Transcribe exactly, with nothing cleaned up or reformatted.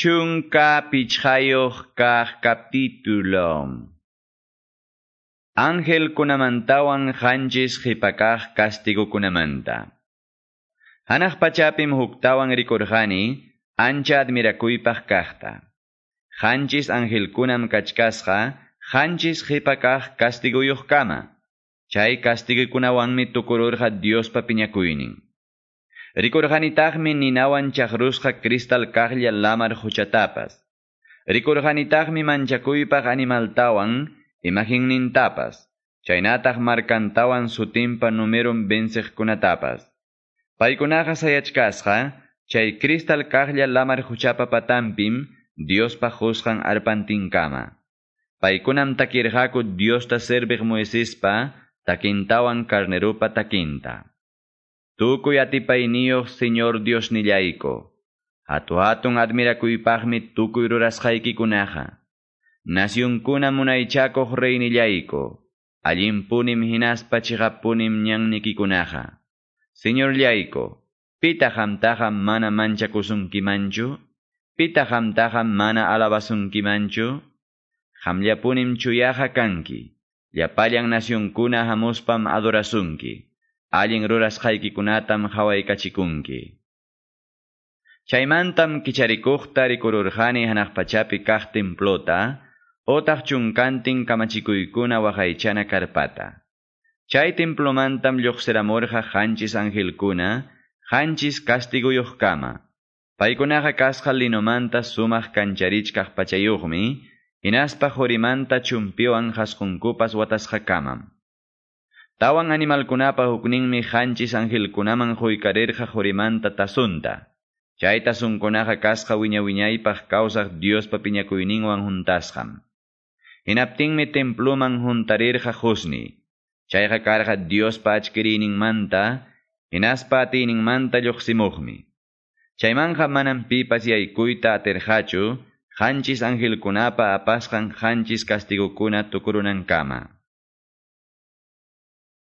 Chunka pichqayuq kaq capítulo. Angelkunamantawan qanchis qhipakaq kastigukunamanta. Hanaq pachapim huktawan rikurqani ancha admirakuypaq kaqta. Qanchis angelkunam kachkasqa qanchis qhipakaq kastiguyuqkama. Chay kastigukunawanmi tukururqa Diospa piñakuynin. Rikurqanitaqmi ninawan chaqrusqa cristal kaqlla lamar huchatapas. Rikurqanitaqmi manchakuypaq animaltawan imaginnintapas, chaynataq markantawan sutinpa numeron venciqkunatapas. Paykunaqa sayachkasqa, chay cristal kaqlla lamar huchapa patanpim Diospa qusqan arpantinkama. Paykunam takirqaku Diosta serviq Moisespa takintawan carnerupa takinta. Tukuy atipayniyuq Señor Diosnillayku, hatu-hatun admirakuypaqmi tukuy rurasqaykikunaqa. Nacionkuna munaychakuq reynillayku, allinpunim hinaspa chiqappunim ñannikikunaqa. Señorllayku, pitaq qamtaqa mana manchakusunkimanchu? Pitaq qamtaqa mana alabasunkimanchu? Qamllapunim chuyaqa kanki, llapallan nacionkuna hamuspam adorasunki. Allin rurasqaykikunatam qhawaykachikunki. Chaymantam kicharikuqta rikururqani hanaq pachapi kaq templota, otaq chunkantin kamachikuykuna waqaychana karpata. Chay templomantam lluqsiramurqa qanchis angelkuna, qanchis kastiguyuqkama. Paykunaqa kasqa linomanta sumaq kancharichkaq pachayuqmi, hinaspa qurimanta chumpiwan qasqunkupas watasqakamam. Tawan animalkunapa hukninmi qanchis angelkunaman quykarirqa qurimanta tasunta. Chay tasunkunaqa kasqa wiña-wiñaypaq kawsaq Diospa piñakuyninwan huntasqam. Hinaptinmi temploman huntarirqa qusni. Chayqa karqa Diospa achkiriyninmanta, hinaspa atiyninmanta lluqsimuqmi. Chaymanqa manam pipas yaykuyta atirqachu, qanchis angelkunapa apasqan qanchis kastigukuna tukurunankama.